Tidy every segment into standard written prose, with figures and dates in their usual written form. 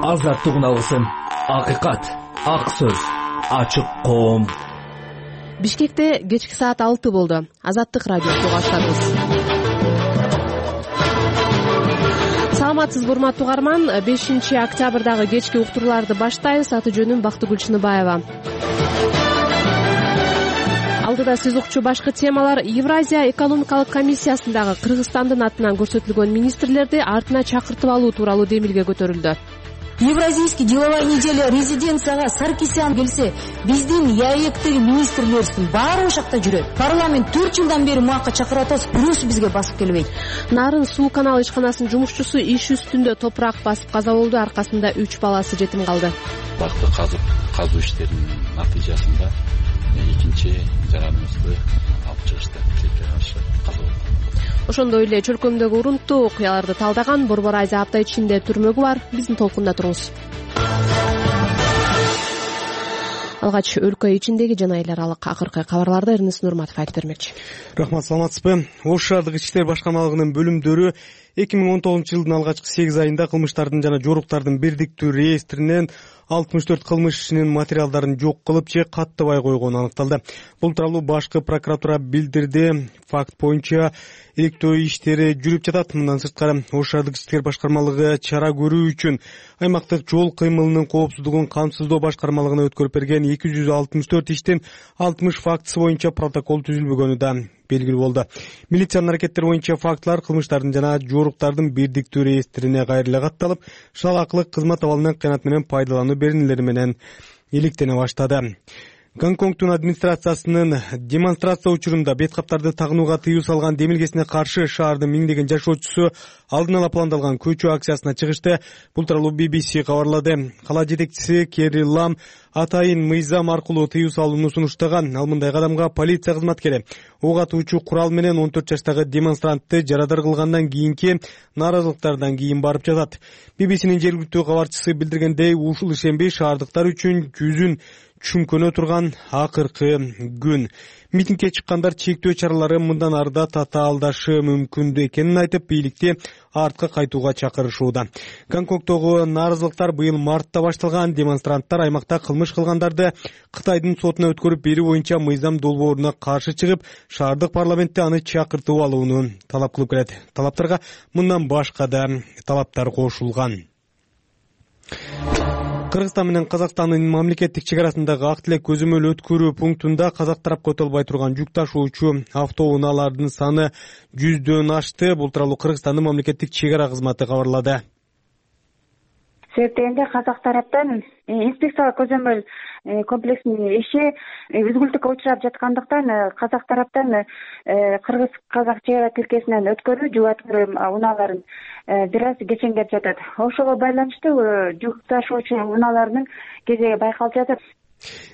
Азаттык алгысым, акыйкат, ак сөз, ачык коом. Бишкекте кечки саат 6 болду. Азаттык радиосу баштадыбыз. Саламатсызбы урматтуу угарман, 5-октябрдагы кечки уктурууларды баштайбыз. Аты жөнүм Бактыгүл Чыныбаева. Алдыда сиз укчу башкы темалар: Евразия экономикалык комиссиясындагы Кыргызстандын атынан көрсөтүлгөн министрлерди артына чакыртып алуу тууралуу демилге көтөрүлдү. Евразийский деловая неделя резиденцияга Саркисян келсе, биздин ЯЭКтеги министрлерибиздин баары ошакта жүрөт. Парламент 4 жылдан бери муакка чакырып атабыз, бирөөсү бизге басып келбейт. Нарын суу канал ишканасынын жумушчусу иш үстүндө топурак басып каза болду. Аркасында 3 баласы жетим калды. Бакты казуу иштеринин натыйжасында экинчи жараныбызды алып чыгышты. Тилекке каршы каза болду. Ошондой эле чөлкөмдөгү урунттуу окуяларды талдаган Борбор Айза апта ичинде түрмөгү бар. Биздин толкунда туруңуз. Алгач өлкө ичиндеги жана эл аралык акыркы кабарларды Эрнест Нурматов айтып бермекчи. Рахмат, саламатсызбы? Ош шаардык ички иштер башкармалыгынын бөлүмдөрү 2019-жылдын алгачкы 8 айында кылмыштардын жана жоруктардын бирдиктүү реестринен 64 кылмыш ишинин материалдарын жок кылып же каттабай койгону аныкталды. Бул тууралуу башкы прокуратура билдирди. Факт боюнча иликтөө иштери жүрүп жатат. Мындан сырткары Ош шаардык ички иштер башкармалыгы чара көрүү үчүн аймактык жол кыймылынын коопсуздугун камсыздоо башкармалыгына өткөрүп берген 264 иштин 60 фактысы боюнча протокол түзүлбөгөнү да белгилүү болду. Милициянын аракеттери боюнча фактылар кылмыштардын жана жоруктардын бирдиктүү реестрине кайра эле катталып, шалаакылык кызмат абалынан кыянат менен пайдалануу беренелери менен иликтене баштады. Гонконгдун администрациясынын демонстрация учурунда бет каптарды тагынууга тыюу салган демилгесине каршы шаардын миңдеген жашоочусу алдын ала пландалган көчүү акциясына чыгышты. Бул тууралуу BBC кабарлады. Кала жетекчиси Керри Лам атайын мыйзам аркылуу тыюу салууну сунуштаган. Ал мындай кадамга полиция кызматкери ок атуучу курал менен 14 жаштагы демонстрантты жарадар кылгандан кийинки нааразылыктардан кийин барып жатат. BBC'нин жергиликтүү кабарчысы билдиргендей, ушул ишемби шаардыктар үчүн жүзүн чүмкөнө турган акыркы күн. Митингге чыккандар чектөө чаралары мындан арыда татаалдашы мүмкүн экенин айтып, бийликти артка кайтууга чакырышууда. Гонконгдогу нааразылыктар быйыл мартта башталган. Демонстранттар аймакта кылмыш кылгандарды Кытайдын сотуна өткөрүп берүү боюнча мыйзам долбооруна каршы чыгып, шаардык парламентте аны чакыртып алууну талап кылып келет. Талаптарга мындан башка да талаптар кошулган. Кыргызстан менен Казакстандын мамлекеттик чек арасындагы ак тилек көзөмөл өткөрүү пунктунда казак тарапка өтө албай турган жүк ташуучу автоунаалардын саны 100дөн ашты. Бул тууралуу Кыргызстандын мамлекеттик чек ара кызматы кабарлады. Себептегенде казак тараптан инспекциялык көзөмөл комплексинин иши үзгүлтүккө учурап жаткандыктан казак тараптан кыргыз-казак чек ара тилкесинен өткөрүү жүк өткөрүү унааларын бир аз кечеңдеп жатат. Ошого байланыштуу жүк ташуучу унаалардын кезеги байкалып жатат,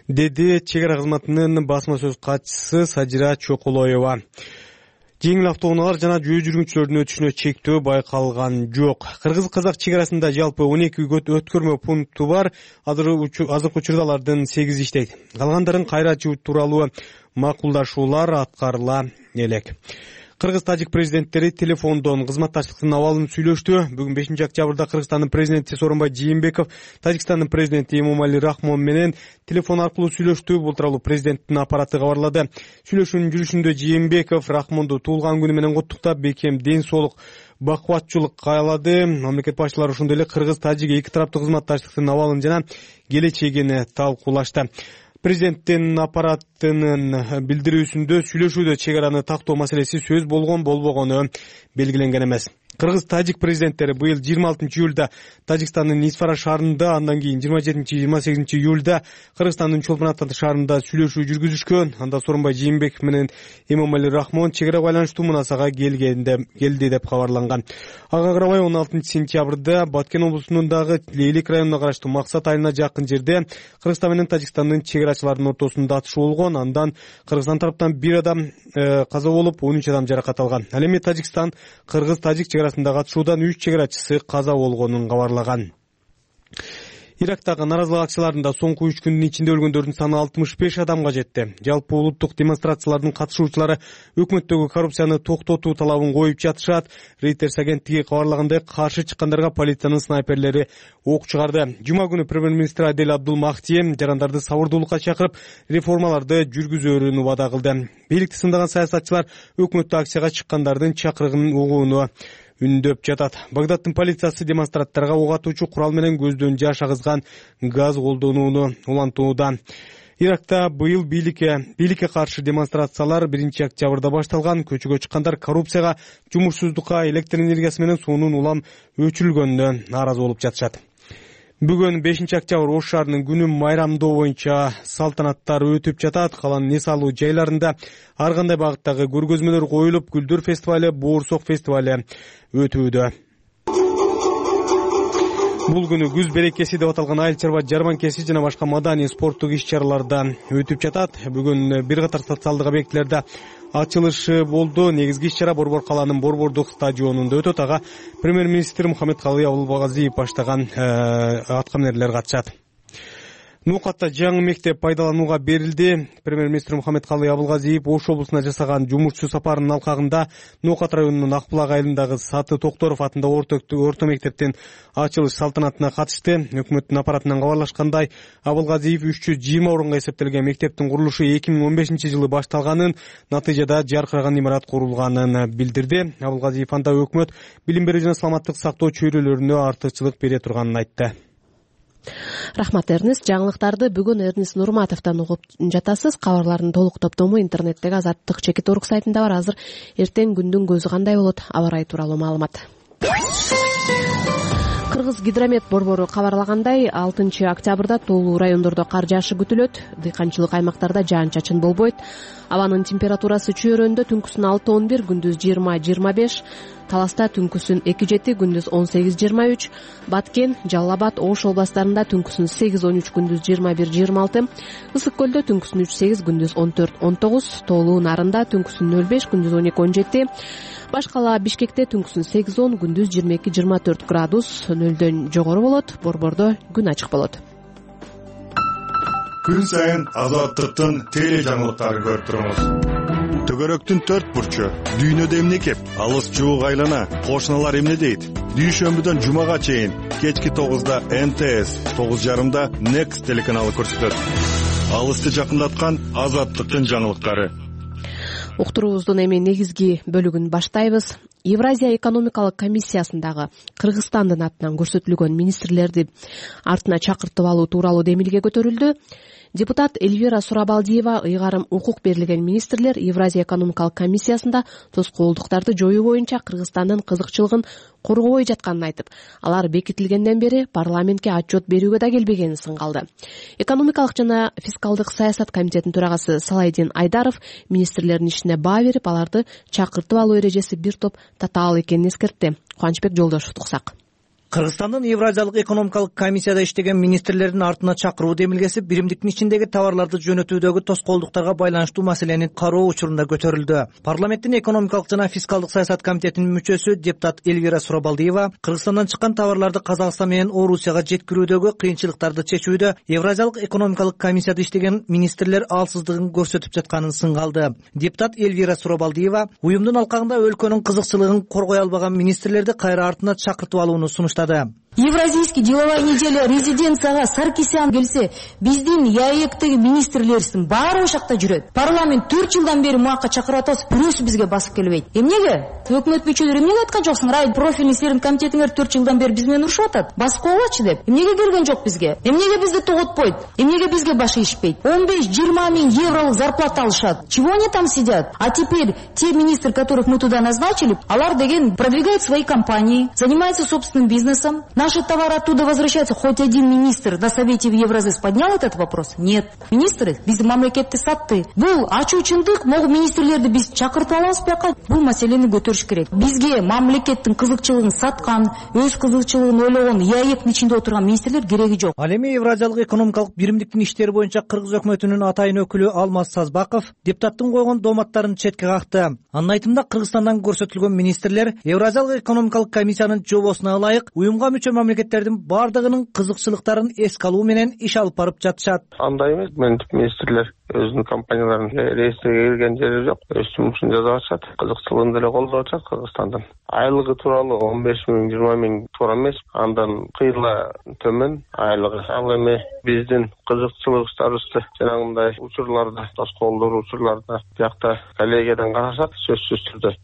деди чек ара кызматынын басма сөз катчысы Сажира Чоколоева. Жеңил автоунаалар жана жөө жүргүнчүлөрдүн өтүшүнө чектөө байкалган жок. Кыргыз-казак чек арасында жалпы 12 өткөрмө пункту бар. Азыркы учурда алардын 8 иштейт. Калгандарын кайра ачуу тууралуу макулдашуулар аткарыла элек. Кыргыз-тажик президенттери телефондон кызматташтыктын абалын сүйлөштү. Бүгүн 5-октябрда Кыргызстандын президенти Сооронбай Жээнбеков Тажикстандын президенти Эмомали Рахмон менен телефон аркылуу сүйлөштү. Бул тууралуу президенттин аппараты кабарлады. Сүйлөшүүнүн жүрүшүндө Жээнбеков Рахмонду туулган күнү менен куттуктап, бекем ден соолук, бакубатчылык каалады. Мамлекет башчылары ошондой эле кыргыз-тажик эки тараптуу кызматташтыктын абалын жана келечегин талкуулашты. Президенттин аппаратынын билдирүүсүндө сүйлөшүүдө чек араны тактоо маселеси сөз болбогону белгиленген эмес. Кыргыз-тажик президенттери быйыл 26 июлда Тажикстандын Исфара шаарында, андан кийин 27-28 июлда Кыргызстандын Чолпон-Ата шаарында сүйлөшүү жүргүзүшкөн. Анда Сооронбай Жээнбеков менен Эмомали Рахмон чек ара байланыштуу мунасага келди деп кабарланган. Ага карабай 16 сентябрда Баткен облусундагы Лейлик районуна караштуу Максат айылына жакын жерде Кыргызстан менен Тажикстандын чек арачыларынын ортосунда атышуу болгон. Андан Кыргызстан тараптан 1 адам каза болуп, 13 адам жаракат алган. Ал эми Тажикстан Кыргыз-тажик чек арасындагы атышуудан 3 чек арачысы каза болгонун кабарлаган. Ирактагы нааразылык акцияларында соңку 3 күндүн ичинде өлгөндөрдүн саны 65 адамга жетти. Жалпы улуттук демонстрациялардын катышуучулары өкмөттөгү коррупцияны токтотуу талабын коюп жатышат. Reuters агенттиги кабарлагандай, каршы чыккандарга полициянын снайперлери ок чыгарды. Жума күнү премьер-министр Адель Абдул Махти жарандарды сабырдуулукка чакырып, реформаларды жүргүзөөрүн убада кылды. Бийликти сындаган саясатчылар өкмөттү акцияга чыккандардын чакырыгын угууну үндөп жатат. Багдаддын полициясы демонстранттарга ок атуучу курал менен көздөн жаш агызган газ колдонууну улантууда. Иракта быйыл бийликке каршы демонстрациялар 1-октябрда башталган. Көчөгө чыккандар коррупцияга, жумушсуздукка, электр энергиясы менен суунун улам өчүрүлгөнүнө нааразы болуп жатышат. Бүгүн 5-октябрь Ош шаарынын күнү майрамдоо боюнча салтанаттар өтүп жатат. Каланын эс алуу жайларында ар кандай багыттагы көргөзмөлөр коюлуп, Гүлдөр фестивали, Боорсок фестивали өтүүдө. Бул күнү күз берекеси деп аталган айыл чарба жарманкеси жана башка маданий спорттук иш-чараларда өтүп жатат. Бүгүн бир катар социалдык объектилерде ачылышы болду. Негизги иш-чара Борбор калаанын Борбордук стадионунда өтөт. Ага премьер-министр Мухаммедкалый Абылгазиев баштаган аткаминерлер катышат. Нукатта жаңы мектеп пайдаланууга берилди. Премьер-министр Мухаммедкалый Абылгазиев Ош облусуна жасаган жумушчу сапарынын алкагында Нукат районунун Акбулак айылындагы Саты Токторов атындагы орто мектептин ачылыш салтанатына катышты. Өкмөттүн аппаратынан кабарлашкандай, Абылгазиев 320 орунга эсептелген мектептин курулушу 2015-жылы башталганын, натыйжада жаркыраган имарат курулганын билдирди. Абылгазиев анда өкмөт билим берүү жана саламаттык сактоо чөйрөлөрүнө артыкчылык бере турганын айтты. Рахмат, Эрнест. Жаңылыктарды бүгүн Эрнест Нурматовдон угуп жатасыз. Кабарлардын толук топтому интернеттеги Азаттык Чекит.орг сайтында бар. Азыр эртең күндүн көзү кандай болот? Аба ырайы тууралуу маалымат. Кыргыз гидромет борбору кабарлагандай, 6-октябрда тоолуу райондордо кар жаашы күтүлөт. Дыйканчылык аймактарда жаан-чачын болбойт. Абанын температурасы чөйрөндө түнкүсүн 6-11, күндүз 20-25, Таласта түнкүсүн 2-7, күндүз 18-23, Баткен, Жалал Абад, Ош областарында түнкүсүн 8-13, күндүз 21-26, Ысык көлдө түнкүсүн 3-8, күндүз 14-19, Тоолуу Нарында түнкүсүн 0-5, күндүз 12-17, Башкала Бишкекте түнкүсүн 8-10, күндүз 22-24 градус, нөлдөн жогору болот. Борбордо күн ачык болот. Күн сайын Азаттыктын теле жаңылыктарын көрүп туруңуз. Төгөрөктүн 4 бурчу, дүйнөдө эмне кеп, алыс жуук айлана, кошуналар эмне дейт? Дүйшөмбүдөн жумага чейин кечки 9-да МТС, 9:30-да Next телеканалы көрсөтөт. Алысты жакындаткан Азаттыктын жаңылыктары. Уктуруубуздун эми негизги бөлүгүн баштайбыз. Евразия экономикалык комиссиясындагы Кыргызстандын атынан көрсөтүлгөн министрлерди артына чакыртып алуу тууралуу демилге көтөрүлдү. Депутат Эльвира Сурабалдиева ыйгарым укук берилген министрлер Евразия экономикалык комиссиясында тоскоолдуктарды жоюу боюнча Кыргызстандын кызыкчылыгын коргобой жатканын айтып, алар бекитилгенден бери парламентке отчет берүүгө да келбегенин сынгалды. Экономикалык жана фискалдык саясат комитетинин төрагасы Салайдин Айдаров министрлердин ишине баа берип, аларды чакыртып алуу эрежеси бир топ татаал экенин эскертти. Кубанычбек Жолдошевду уксак. Кыргызстандын Евразиялык экономикалык комиссияда иштеген министрлердин артына чакыруу демилгеси биримдиктин ичиндеги товарларды жөнөтүүдөгү тоскоолдуктарга байланыштуу маселени кароо учурунда көтөрүлдү. Парламенттин экономикалык жана фискалдык саясат комитетинин мүчөсү депутат Эльвира Сурабалдиева Кыргызстандан чыккан товарларды Казакстан менен Орусияга жеткирүүдөгү кыйынчылыктарды чечүүдө Евразиялык экономикалык комиссияда иштеген министрлер алсыздыгын көрсөтүп жатканын сынгалды. Депутат Эльвира Сурабалдиева уюмдун алкагында өлкөнүн кызыкчылыгын коргой албаган министрлерди кайра артына чакыртып алууну сунуштады. Евразийский деловая неделя резиденцияга Саркисян келсе, биздин ЯЭКтеги министрлерибиздин баары ошакта жүрөт. Парламент 4 жылдан бери муакка чакырып атабыз, бирөөсү бизге басып келбейт. Эмнеге? Өкмөт мүчөлөрү эмнеге айткан жоксуң? Рай профильный силердин комитетиңер 4 жылдан бери биз менен урушуп атат. Басып койгулачы деп. Эмнеге келген жок бизге? Эмнеге бизди тоготпойт? Эмнеге бизге баш ийишпейт? 15-20 миң евролук зарплата алышат. Чего они там сидят? А теперь те министры, которых мы туда назначили, алар деген продвигают свои компании, занимаются собственным бизнесом. Наши товары оттуда возвращаются. Хоть один министр на Совете в Евразис поднял этот вопрос? Нет. Министры биздин мамлекетти сатты. Бул ачуучундук, могу министрлерди биз чакыртып алабыз бияка. Бул маселени көтөрүш керек. Бизге мамлекеттин кызыкчылыгын саткан, өз кызыкчылыгын ойлогон, ЯЭКтин ичинде отурган министрлер кереги жок. Ал эми Евразиялык экономикалык биримдиктин иштери боюнча Кыргыз өкмөтүнүн атайын өкүлү Алмаз Сазбаков депутаттын койгон дооматтарын четке какты. Анын айтымында Кыргызстандан көрсөтүлгөн министрлер Евразиялык экономикалык комиссиянын жобосуна ылайык уюмга мүчө көрчү мамлекеттердин бардыгынын кызыкчылыктарын эске алуу менен иш алып барып жатышат. Андай эмес, министрлер өзүнүн компанияларын реестриге кирген жери жок, өз жумушун жасап атышат, кызыкчылыгын деле колдоп атышат Кыргызстандын. Айлыгы тууралуу 15 миң, 20 миң туура эмес, андан кыйла төмөн айлыгы. Ал эми биздин кызыкчылыктарыбызды жанагындай учурларда, тоскоолдор учурларда биякта коллегиядан карашат, сөзсүз түрдө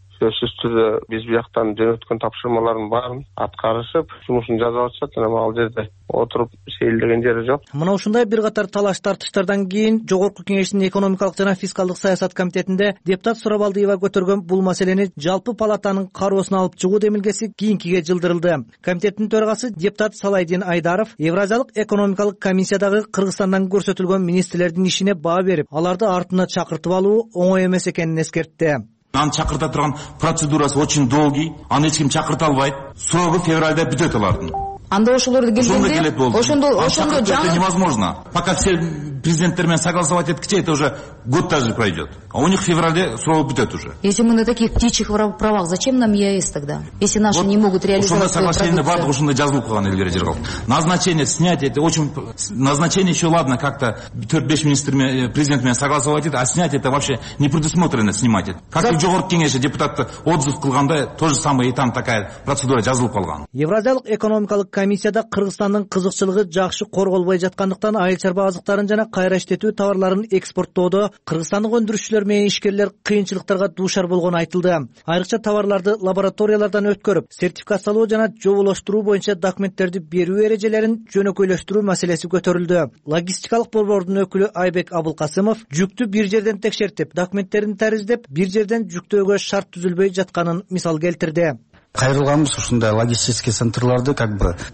биз бияктан жөнөткөн тапшырмалардын баарын аткарышып, жумушун жасап атышат. Жана ал жерде отуруп сейилдеген жери жок. Мына ушундай бир катар талаш тартыштардан кийин Жогорку Кеңештин экономикалык жана фискалдык саясат комитетинде депутат Сурабалдиева көтөргөн бул маселени жалпы палатанын кароосуна алып чыгуу демилгеси кийинкиге жылдырылды. Комитеттин төрагасы депутат Салайдин Айдаров Евразиялык экономикалык комиссиядагы Кыргызстандан көрсөтүлгөн министрлердин ишине баа берип, аларды артына чакыртып алуу оңой эмес экенин эскертти. Аны чакырта турган процедурасы очень долгий, аны эч ким чакырта албайт. Срогу февралда бүтөт алардын. Анда ошолорду келгенде ошондо это невозможно. Пока все президенттер менен согласовать эткиче, это уже год даже пройдет. А у них в феврале срок бүтөт уже. Если мы на таких птичьих правах, зачем нам ЕАЭС тогда? Если наши не могут реализовать свою продукцию. Соглашение бардык ушундай жазылып калган элдер жер. Назначение, снятие, это очень... Назначение еще ладно, как-то 4-5 министр президент менен согласовать это, а снять это вообще не предусмотрено снимать это. Как и Жогорку Кеңеште депутатты отзыв кылганда, то же самое и там такая процедура жазылып калган. Евразиялык экономикалык комиссияда Кыргызстандын кызыкчылыгы жакшы корголбой жаткандыктан айыл чарба азыктарын жана кайра иштетүү товарларын экспорттоодо кыргызстандык өндүрүшчүлөр менен ишкерлер кыйынчылыктарга дуушар болгону айтылды. Айрыкча товарларды лабораториялардан өткөрүп, сертификациялоо жана жоболоштуруу боюнча документтерди берүү эрежелерин жөнөкөйлөштүрүү маселеси көтөрүлдү. Логистикалык борбордун өкүлү Айбек Абылкасымов жүктү бир жерден текшертип, документтерин тариздеп, бир жерден жүктөөгө шарт түзүлбөй жатканын мисал келтирди. Кайрылганбыз ушундай логистический центрларды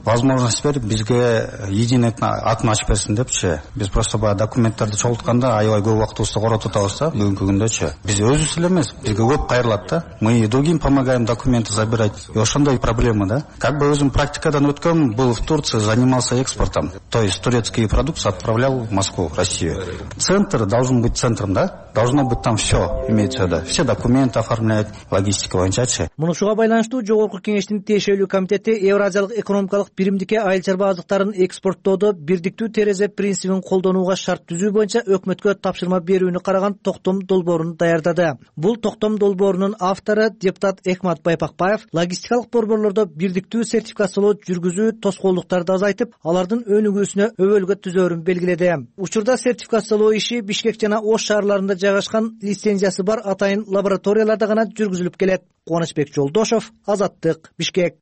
возможность берип бизге единый атын ачып берсин депчи. Биз просто баягы документтерди чогултканда аябай көп убактыбызды коротуп атабыз да бүгүнкү күндөчү. Биз өзүбүз эле эмес, бизге көп кайрылат да. Мы другим помогаем документы забирать. И ошондой проблема да. Өзүм практикадан өткөм, был в Турции, занимался экспортом. То есть турецкие продукты отправлял в Москву, в Россию. Центр должен быть центром, да? Должно быть там все, имеется в виду. Все документы оформлять, логистика боюнча. Мунушуга байланыштуу Жогорку Кеңештин тиешелүү комитети Евразиялык экономикалык биримдикке айыл чарба азыктарын экспорттоодо бирдиктүү терезе принцибин колдонууга шарт түзүү боюнча өкмөткө тапшырма берүүнү караган токтом долбоорун даярдады. Бул токтом долбоорунун автору депутат Экмат Байпакбаев логистикалык борборлордо бирдиктүү сертификациялоо жүргүзүү тоскоолдуктарды азайтып, алардын өнүгүүсүнө өбөлгө түзөөрүн белгиледи. Учурда сертификациялоо иши Бишкек жана Ош шаарларында жайгашкан лицензиясы бар атайын лабораторияларда гана жүргүзүлүп келет. Кубанычбек Жолдошов, Азаттык, Бишкек.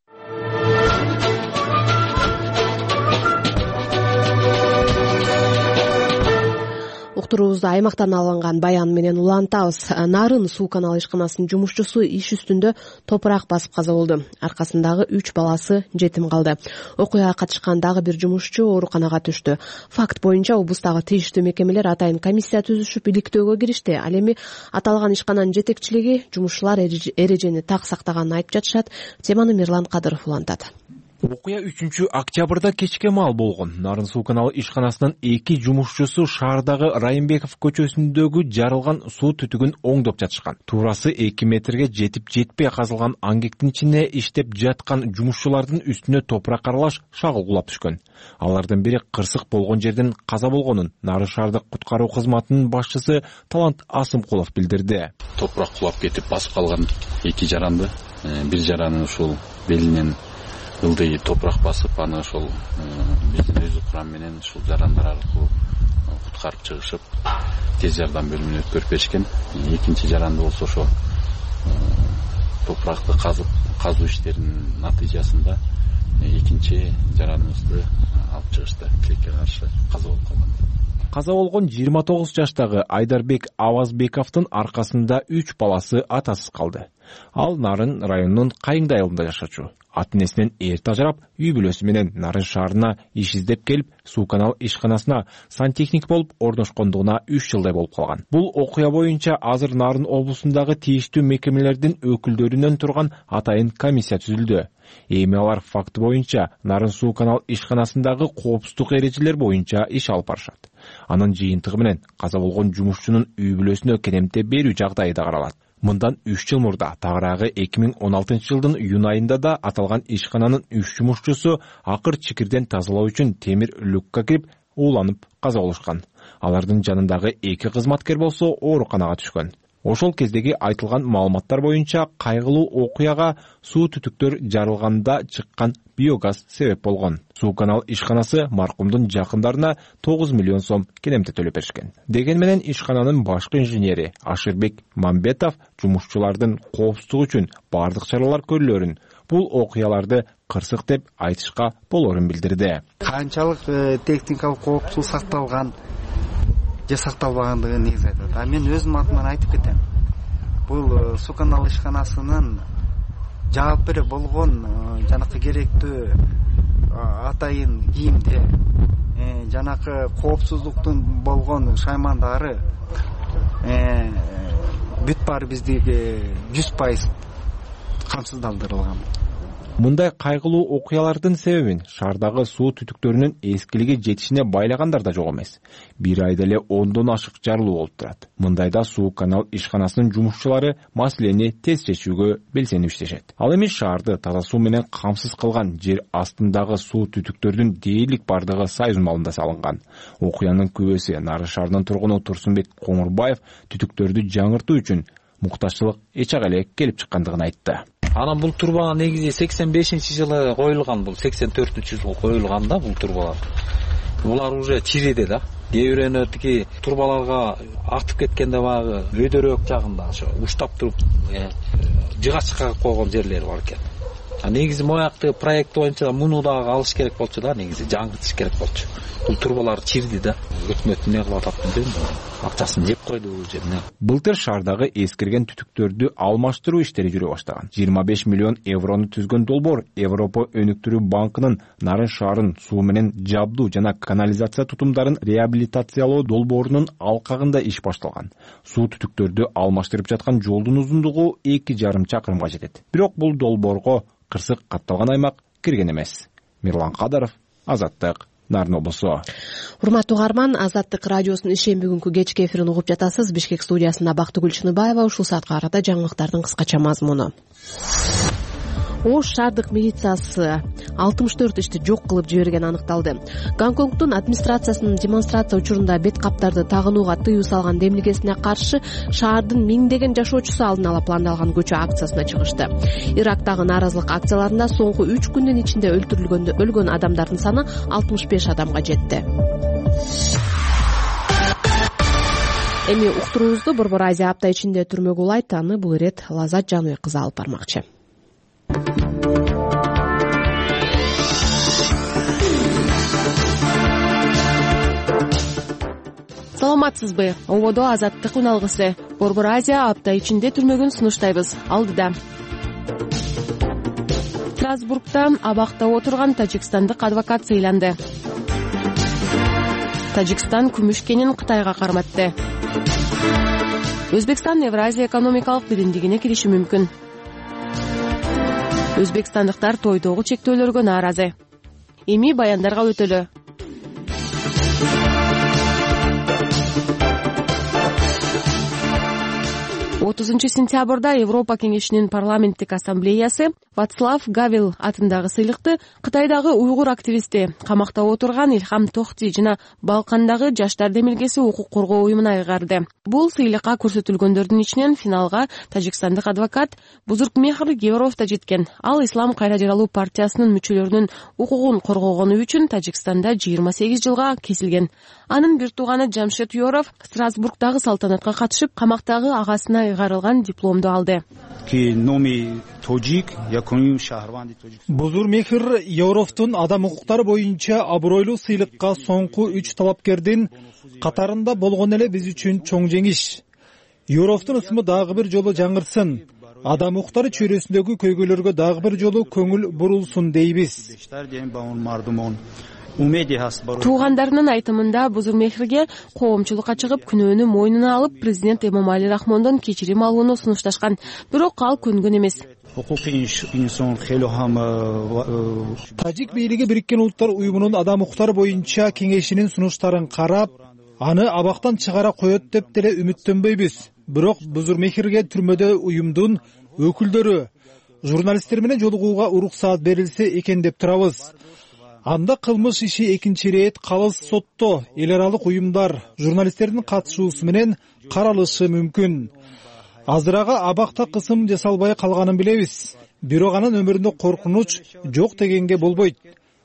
Уктуруубузду аймактан алынган баян менен улантабыз. Нарын суу каналы ишканасынын жумушчусу иш үстүндө топурак басып каза болду. Аркасындагы 3 баласы жетим калды. Окуяга катышкан дагы бир жумушчу ооруканага түштү. Факт боюнча облустагы тийиштүү мекемелер атайын комиссия түзүшүп иликтөөгө киришти. Ал эми аталган ишкананын жетекчилиги жумушчулар эрежени так сактаганын айтып жатышат. Теманы Мирлан Кадыров улантат. Окуя 3 октябрда кечке маал болгон. Нарын суу каналы ишканасынын 2 жумушчусу шаардагы Райымбеков көчөсүндөгү жарылган суу түтүгүн оңдоп жатышкан. Туурасы 2 метрге жетип жетпей казылган аңгектин ичине иштеп жаткан жумушчулардын үстүнө топурак аралаш шагыл кулап түшкөн. Алардын бири кырсык болгон жерден каза болгонун Нарын шаардык куткаруу кызматынын башчысы Талант Асымкулов билдирди. Топурак кулап кетип басып калган 2 жаранды, бир жараны ушул белинен ылдый топурак басып, аны ошол биздин өзү курам менен ушул жарандар аркылуу куткарып чыгышып, тез жардам бөлүмүнө өткөрүп беришкен. Экинчи жаранды болсо ошо топуракты казуу иштеринин натыйжасында экинчи жараныбызды алып чыгышты. Тилекке каршы каза болуп калган. Каза болгон 29 жаштагы Айдарбек Авазбековдун аркасында 3 баласы атасыз калды. Ал Нарын районунун Кайыңды айылында жашачу. Ата-энесинен эрте ажырап, үй бүлөсү менен Нарын шаарына иш издеп келип, суу канал ишканасына сантехник болуп орношкондугуна 3 жылдай болуп калган. Бул окуя боюнча азыр Нарын облусундагы тийиштүү мекемелердин өкүлдөрүнөн турган атайын комиссия түзүлдү. Эми алар факты боюнча Нарын суу канал ишканасындагы коопсуздук эрежелер боюнча иш алып барышат. Анын жыйынтыгы менен каза болгон жумушчунун үй бүлөсүнө кенемте берүү жагдайы да каралат. Мындан 3 жыл мурда тагыраагы 2016 жылдын июнь айында да аталган ишкананын 3 жумушчусу акыр чикирден тазалоо үчүн темир люкка кирип ууланып каза болушкан. Алардын жанындагы 2 кызматкер болсо ооруканага түшкөн. Ошол кездеги айтылган маалыматтар боюнча кайгылуу окуяга суу түтүктөр жарылганда чыккан биогаз себеп болгон. Суу канал ишканасы маркумдун жакындарына 9 миллион сом кенемте төлөп беришкен. Деген менен ишкананын башкы инженери Ашырбек Мамбетов жумушчулардын коопсуздугу үчүн бардык чаралар көрүлөрүн, бул окуяларды кырсык деп айтышка болорун билдирди. Канчалык техникалык коопсуздук сакталган же сакталбагандыгын негизи айтат. А мен өзүм атыман айтып кетем. Бул суу канал ишканасынын жаап бере болгон жанакы керектүү атайын кийимде, жанакы коопсуздуктун болгон шаймандары бүт баары биздиги 100% камсыздандырылган. Мындай кайгылуу окуялардын себебин шаардагы суу түтүктөрүнүн эскилиги жетишине байлагандар да жок эмес. Бир айда эле 10дон ашык жарылуу болуп турат. Мындайда суу канал ишканасынын жумушчулары маселени тез чечүүгө белсенип иштешет. Ал эми шаарды таза суу менен камсыз кылган жер астындагы суу түтүктөрдүн дээрлик бардыгы Союз малында салынган. Окуянын күбөсү Нары шаарынын тургуну Турсунбек Комурбаев түтүктөрдү жаңыртуу үчүн муктаччылык эч ак эле келип чыккандыгын айтты. Анан бул турба негизи 85-жылы коюлган, бул 84-жылы коюлган да бул турбалар. Булар уже чириди да. Кээ бирөөнөтүки турбаларга артып кеткенде багы өйдөрөөк жагында ошо уштап туруп жыгачка койгон жерлери бар экен. Негизи мояктагы проект боюнча муну дагы алыш керек болчу да, негизи жаңыртыш керек болчу. Бул турбалар чирди да. Өкмөт эмне кылып атат билбейм. Акчасын жеп койду бул жерне. Былтыр шаардагы эскирген түтүктөрдү алмаштыруу иштери жүрө баштаган. 25 миллион еврону түзгөн долбоор Европа өнүктүрүү банкынын Нарын шаарын суу менен жабдуу жана канализация тутумдарын реабилитациялоо долбоорунун алкагында иш башталган. Суу түтүктөрдү алмаштырып жаткан жолдун узундугу 2,5 чакырымга жетет. Бирок бул долбоорго кырсык катталган аймак кирген эмес. Мирлан Кадаров, Азаттык, Нарын облусу. Урматтуу угарман, Азаттык радиосунун ишемби күнкү кечки эфирин угуп жатасыз. Бишкек студиясында Бактыгүл Чыныбаева. Ушул саатка карата жаңылыктардын кыскача мазмуну. Ош шаардык милициясы 64 ишти жок кылып жиберген аныкталды. Гонконгдун администрациясынын демонстрация учурунда бет каптарды тагынууга тыюу салган демилгесине каршы шаардын миңдеген жашоочусу алдын ала пландалган көчө акциясына чыгышты. Ирактагы нааразылык акцияларында соңку 3 күндүн ичинде өлгөн адамдардын саны 65 адамга жетти. Эми уктуруубузду Борбор Азия апта ичинде түрмөгө улайт. Аны бул ирет Лазат Жаныбек кызы алып бармакчы. Саламатсызбы? Ободо Азаттык уналгысы. Борбор Азия апта ичинде түрмөгүн сунуштайбыз. Алдыда. Страсбургда абакта отурган тажикстандык адвокат сыйланды. Тажикстан күмүш кенин Кытайга карматты. Өзбекстан Евразия экономикалык биримдигине кириши мүмкүн. Өзбекстандыктар тойдогу чектөөлөргө нааразы. Эми баяндарга өтөлө. 30 сентябрда Европа кеңешинин парламенттик ассамблеясы Вацлав Гавел атындагы сыйлыкты Кытайдагы уйгур активисти, камакта отурган Илхам Тохти жана Балкандагы жаштар демилгеси укук коргоо уюмуна ыйгарды. Бул сыйлыкка көрсөтүлгөндөрдүн ичинен финалга тажикстандык адвокат Бузуркмехр Гевров да жеткен. Ал Ислам кайра жаралуу партиясынын мүчөлөрүнүн укугун коргогону үчүн Тажикстанда 28 жылга кесилген. Анын бир тууганы Жамшед Юров Страсбургдагы салтанатка катышып, камактагы агасына ыйгарылган дипломду алды. Бузуркмехр Евровдун адам укуктары боюнча абройлуу сыйлыкка соңку 3 талапкердин катарында болгон эле биз үчүн чоң жеңиш. Юровдун ысымы дагы бир жолу жаңырсын. Адам укуктары чөйрөсүндөгү көйгөйлөргө дагы бир жолу көңүл бурулсун дейбиз. Туугандарынын айтымында Бузуркмехрге коомчулукка чыгып, күнөөнү мойнуна алып, президент Эмомали Рахмондон кечирим алууну сунушташкан. Бирок ал көнгөн эмес. Тажик бийлиги Бириккен Улуттар уюмунун адам укуктары боюнча кеңешинин сунуштарын карап, аны абактан чыгара коет деп деле үмүттөнбөйбүз. Бирок Бузурмехирге түрмөдө уюмдун өкүлдөрү, журналисттер менен жолугууга уруксаат берилсе экен деп турабыз. Анда кылмыш иши экинчи ирет калыс сотто эл аралык уюмдар, журналисттердин катышуусу менен каралышы мүмкүн. Азырага абакта кысым жасалбай калганын билебиз. Бирок анын өмүрүндө коркунуч жок дегенге болбойт.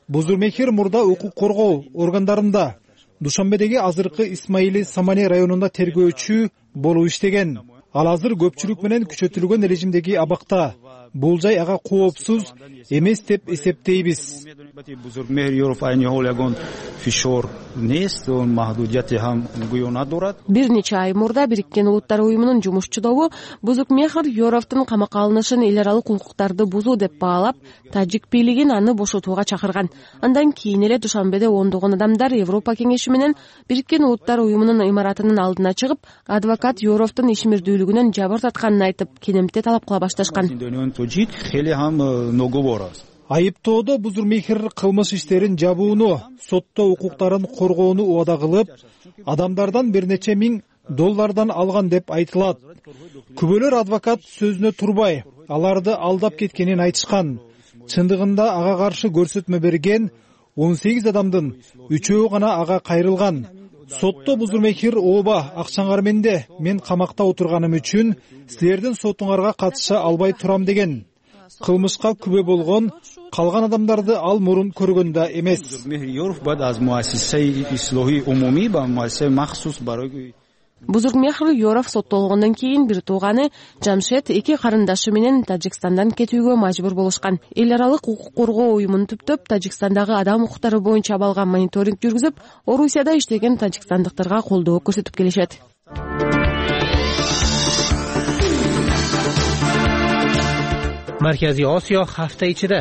Бузурмехир мурда укук коргоо органдарында Душанбедеги азыркы Исмаили Самане районунда тергөөчү болуп иштеген. Ал азыр көпчүлүк менен күчөтүлгөн режимдеги абакта. Бул жай ага коопсуз эмес деп эсептейбиз. Бир нече ай мурда Бириккен Улуттар уюмунун жумушчу Бузурмехир Yorovдун камакка алынышын эл аралык укуктарды бузуу деп баалап, тажик бийлигин аны бошотууга чакырган. Андан кийин эле Душанбеде ондогон адамдар Европа кеңеши менен Бириккен Улуттар уюмунун имаратынын алдына чыгып, адвокат Yorovдун ишмердүүлүгүнөн жабыр тартканын айтып, кенемте талап кыла башташкан. Айыптоодо Бузурмехир кылмыш иштерин жабууну, сотто укуктарын коргоону убада кылып, адамдардан бир нече $1000 алган деп айтылат. Күбөлөр адвокат сөзүнө турбай, аларды алдап кеткенин айтышкан. Чындыгында ага каршы көрсөтмө берген 18 адамдын 3-өө гана ага кайрылган. Сотто Бузурмехир ооба акчаңар менде, мен камакта отурганым үчүн силердин сотуңарга катыша албай турам деген. Кылмышка күбө болгон калган адамдарды ал мурун көргөн да эмес. Бузурмехир Yorov соттолгондон кийин бир тууганы Жамшед 2 карындашы менен Тажикстандан кетүүгө мажбур болушкан. Эл аралык укук коргоо уюмун түптөп, Тажикстандагы адам укуктары боюнча абалга мониторинг жүргүзүп, Орусияда иштеген тажикстандыктарга колдоо көрсөтүп келишет. Маркази Осиё ҳафта ичида.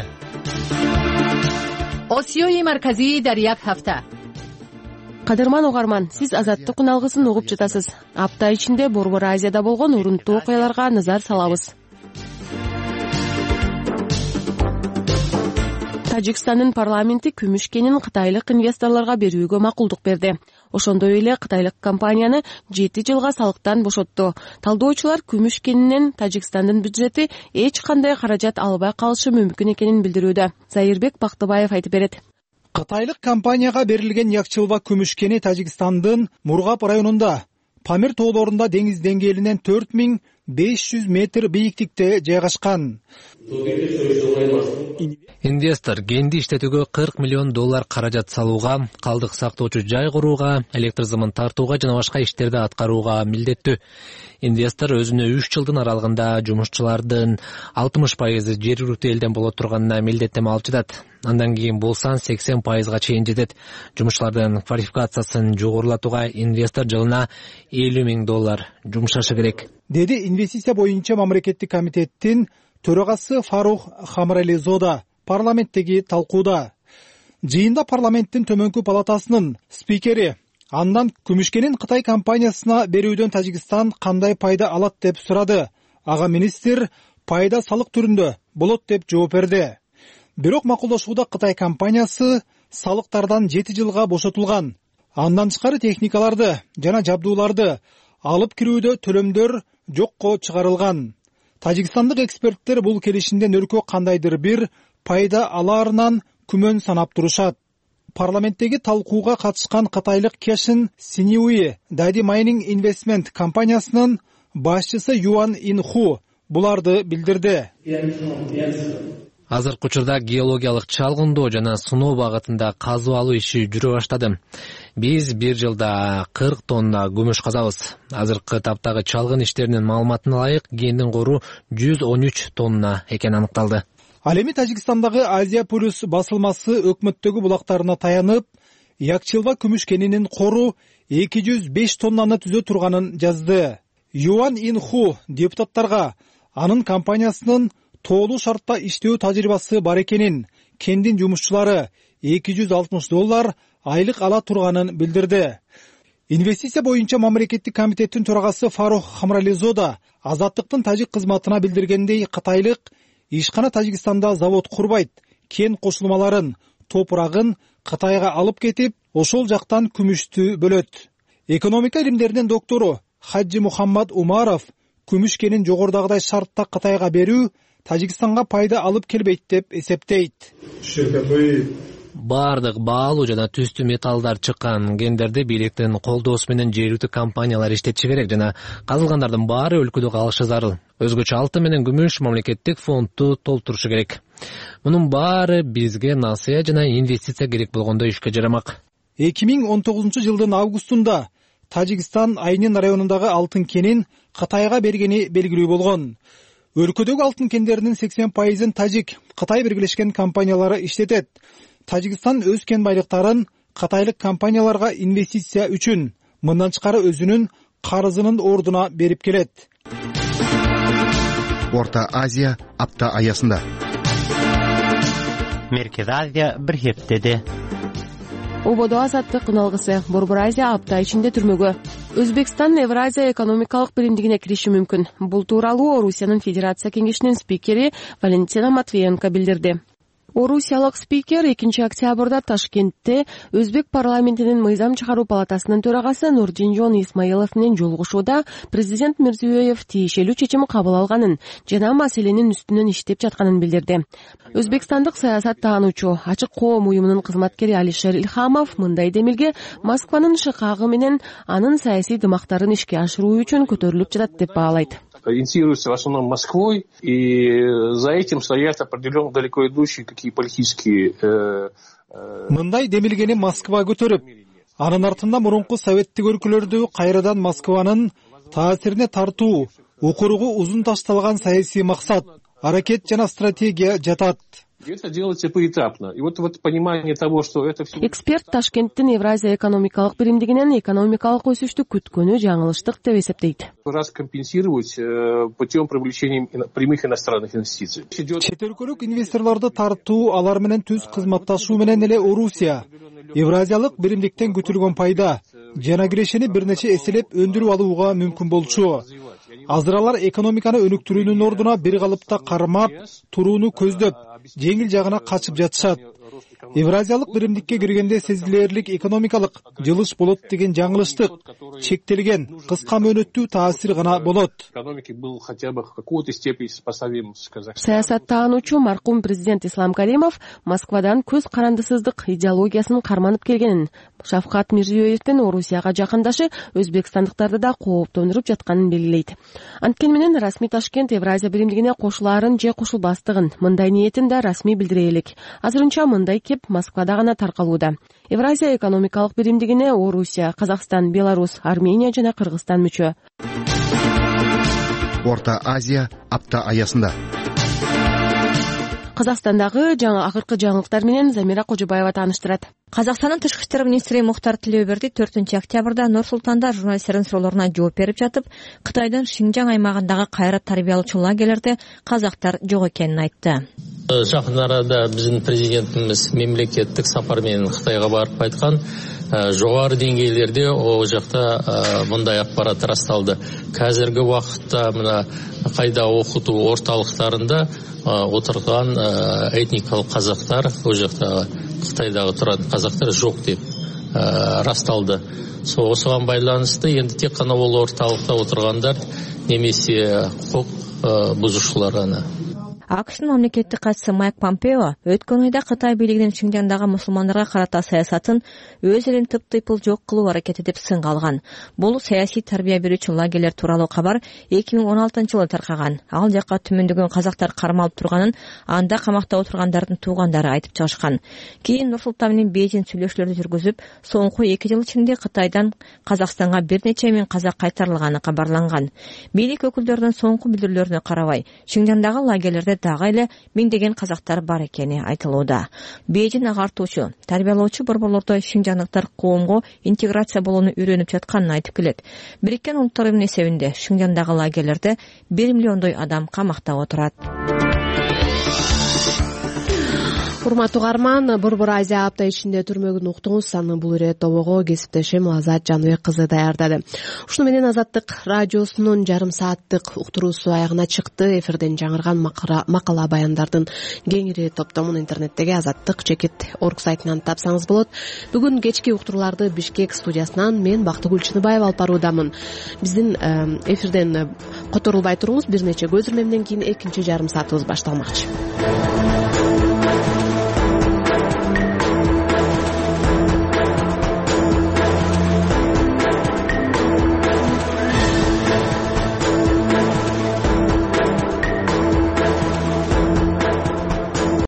Осиёи марказӣ дар як ҳафта. Кадырман угарман, сиз Азаттык алгысын угуп жатасыз. Апта ичинде Борбор Азияда болгон урунттуу окуяларга назар салабыз. Тажикстандын парламенти күмүш кенин кытайлык инвесторлорго берүүгө макулдук берди. Ошондой эле кытайлык компанияны 7 жылга салыктан бошотту. Талдоочулар күмүш кенинен Тажикстандын бюджети эч кандай каражат албай калышы мүмкүн экенин билдирүүдө. Зайырбек Бактыбаев айтып берет. Кытайлык компанияга берилген Якчылба күмүш кени Тажикстандын Мургап районунда Памир тоолорунда деңиз деңгээлинен 4500 метр бийиктикте жайгашкан. Инвестор кенди иштетүүгө $40 миллион каражат салууга, калдык сактоочу жай курууга, электр зымын тартууга жана башка иштерди аткарууга милдеттүү. Инвестор өзүнө 3 жылдын аралыгында жумушчулардын 60% жергиликтүү элден боло турганына милдеттеме алып жатат. Андан кийин бул сан 80%га чейин жетет. Жумушчулардын квалификациясын жогорулатууга инвестор жылына $50 миң жумшашы керек, деди инвестиция боюнча мамлекеттик комитеттин төрагасы Фарух Хамрализода парламенттеги талкууда. Жыйында парламенттин төмөнкү палатасынын спикери андан күмүшкенин Кытай компаниясына берүүдөн Тажикстан кандай пайда алат деп сурады. Ага министр пайда салык түрүндө болот деп жооп берди. Бирок макулдашууда Кытай компаниясы салыктардан 7 жылга бошотулган. Андан тышкары техникаларды жана жабдууларды алып кирүүдө төлөмдөр жокко чыгарылган. Тажикстандык эксперттер бул келишимден өлкө кандайдыр бир пайда алаарынан күмөн санап турушат. Парламенттеги талкууга катышкан кытайлык Кешин Синьюи Дади Майнинг Инвестмент компаниясынын башчысы Юан Инху буларды билдирди. Азыркы учурда геологиялык чалгындоо жана суноо багытында казып алуу иши жүрө баштады. Биз бир жылда 40 тонна күмүш казабыз. Азыркы таптагы чалгын иштеринин маалыматына ылайык кендин кору 113 тонна экени аныкталды. Ал эми Тажикстандагы Азия Плюс басылмасы өкмөттөгү булактарына таянып, Якчылба күмүш кенинин кору 205 тоннаны түзө турганын жазды. Юан Инху депутаттарга анын компаниясынын тоолуу шартта иштөө тажрыйбасы бар экенин, кендин жумушчулары $260 айлык ала турганын билдирди. Инвестиция боюнча мамлекеттик комитеттин төрагасы Фарух Хамрализода Азаттыктын тажик кызматына билдиргендей, кытайлык ишкана Тажикстанда завод курбайт, кен кошулмаларын, топурагын Кытайга алып кетип, ошол жактан күмүштү бөлөт. Экономика илимдеринин доктору Хаджи Мухаммад Умаров күмүш кенин жогорудагыдай шартта Кытайга берүү Тажикстанга пайда алып келбейт деп эсептейт. Бардык баалуу жана түстүү металлдар чыккан кендерди бийликтин колдоосу менен жергиликтүү компаниялар иштетиши керек жана казылгандардын баары өлкөдө калышы зарыл. Өзгөчө алтын менен күмүш мамлекеттик фондду толтурушу керек. Мунун баары бизге насыя жана инвестиция керек болгондо ишке жарамак. 2019-жылдын августунда Тажикстан Айнин районундагы алтын кенин Кытайга бергени белгилүү болгон. Өлкөдөгү алтын кендеринин 80%-ын Тажик, Кытай биргелешкен компаниялары иштетет. Тажикстан өз кен байлыктарын кытайлык компанияларга инвестиция үчүн, мындан тышкары өзүнүн карызынын ордуна берип келет. Орта Азия апта аясында. Меркез Азия бир хептеди. Ободо азаттык кыналгысы Борбор Азия апта ичинде түрмөгө. Өзбекстан Евразия экономикалык биримдигине кириши мүмкүн. Бул тууралуу Орусиянын Федерация кеңешинин спикери Валентина Матвиенко билдирди. Орусиялык спикер 2 октябрда Ташкентте Өзбек парламентинин мыйзам чыгаруу палатасынын төрагасы Нурдинжон Исмаилов менен жолугушууда президент Мирзиёев тиешелүү чечим кабыл алганын жана маселенин үстүнөн иштеп жатканын билдирди. Өзбекстандык саясат таануучу Ачык коом уюмунун кызматкери Алишер Илхамов мындай демилге Москванын шыкагы менен анын саясий дымактарын ишке ашыруу үчүн көтөрүлүп жатат деп баалайт. Инициируется в основном Москвой, и за этим стоят определенно далеко идущие такие политические... Мындай демилгени Москва көтөрүп, анын артында мурунку советтик өлкөлөрдү кайрадан Москванын таасирине тартуу, укуругу узун ташталган саясий максат, аракет жана стратегия жатат. Это делается поэтапно. И вот понимание того, что это все... Эксперт Ташкенттин Евразия экономикалык биримдигинен экономикалык өсүштү күткөнү жаңылыштык деп эсептейт. Раз компенсировать путем привлечения прямых иностранных инвестиций. Чет өлкөлүк инвесторлорду тартуу, алар менен түз кызматташуу менен эле Орусия Евразиялык биримдиктен күтүлгөн пайда жана кирешени бир нече эселеп өндүрүп алууга мүмкүн болчу. Азыр алар экономиканы өнүктүрүүнүн ордуна бир калыпта кармап турууну көздөп, жеңил жагына качып жатышат. Евразиялык биримдикке киргенде сезилерлик экономикалык жылыш болот деген жаңылыштык чектелген, кыска мөөнөттүү таасир гана болот. Саясат таануучу маркум президент Ислам Каримов Москвадан көз карандысыздык идеологиясын карманып келгенин, Шавкат Мирзиёевдин Орусияга жакындашы өзбекстандыктарды да кооптондуруп жатканын белгилейт. Анткени менен расмий Ташкент Евразия биримдигине кошулаарын же кошулбастыгын, мындай ниетин да расмий билдире элек. Азырынча мындай кеп Москвада гана таркалууда. Евразия экономикалык биримдигине Орусия, Казакстан, Беларусь, Армения жана Кыргызстан мүчө. Орта Азия апта аясында. Казакстандагы акыркы жаңылыктар менен Замира Кожобаева тааныштырат. Казакстандын тышкы иштер министри Мухтар Тилеуберди 4 октябрда Нур Султанда журналисттердин суроолоруна жооп берип жатып, Кытайдын Шинжаң аймагындагы кайрат тарбиялоочу лагерлерде казактар жок экенин айтты. Жакын арада биздин президентибиз мемлекеттик сапар менен Кытайга барып кайткан. Жогору деңгээлерде о жакта мындай акпарат расталды. Казыркы убакытта мына кайда окутуу орталыктарында отурган этникалык казактар, о жакта Кытайдагы турган казактар жок деп расталды. Осуга байланыштуу энди тек гана бул орталыкта отургандар немесе укук бузушуулар гана. АКШнын мамлекеттик катчысы Майк Помпео өткөн айда Кытай бийлигинин Шинжаңдагы мусулмандарга карата саясатын өз элин тыптыйпыл жок кылуу аракети деп сынга алган. Бул саясий тарбия берүүчү лагерлер тууралуу кабар 2016-жылы таркаган. Ал жакка түмөндөгөн казактар кармалып турганын, анда камакта отургандардын туугандары айтып чыгышкан. Кийин Нур Султан менен Бейжин сүйлөшүүлөрдү жүргүзүп, соңку 2 жыл ичинде Кытайдан Казакстанга бир нече миң казак кайтарылганы кабарланган. Бийлик өкүлдөрүнүн соңку билдирүүлөрүнө карабай, Шинжаңдагы лагерлерде дагы эле миңдеген казактар бар экени айтылууда. Бейжин агартуучу, тарбиялоочу борборлордо шинжаңдыктар коомго интеграция болууну үйрөнүп жатканын айтып келет. Бириккен Улуттар Уюмунун эсебинде Шинжаңдагы лагерлерде 1 миллиондой адам камакта отурат. урматтуу угарман, Борбор Азия апта ичинде түрмөгүн уктуңуз. Аны бул ирет тобого кесиптешим Азат Жаныбек кызы даярдады. Ушуну менен Азаттык радиосунун жарым сааттык уктуруусу аягына чыкты. Эфирден жаңырган макала баяндардын кеңири топтомун интернеттеги azattik.org сайтынан тапсаңыз болот. Бүгүн кечки уктурууларды Бишкек студиясынан мен Бактыгүл Чыныбаева алып баруудамын. Биздин эфирден которулбай туруңуз. Бир нече көзүрмемден кийин экинчи жарым саатыбыз башталмакчы.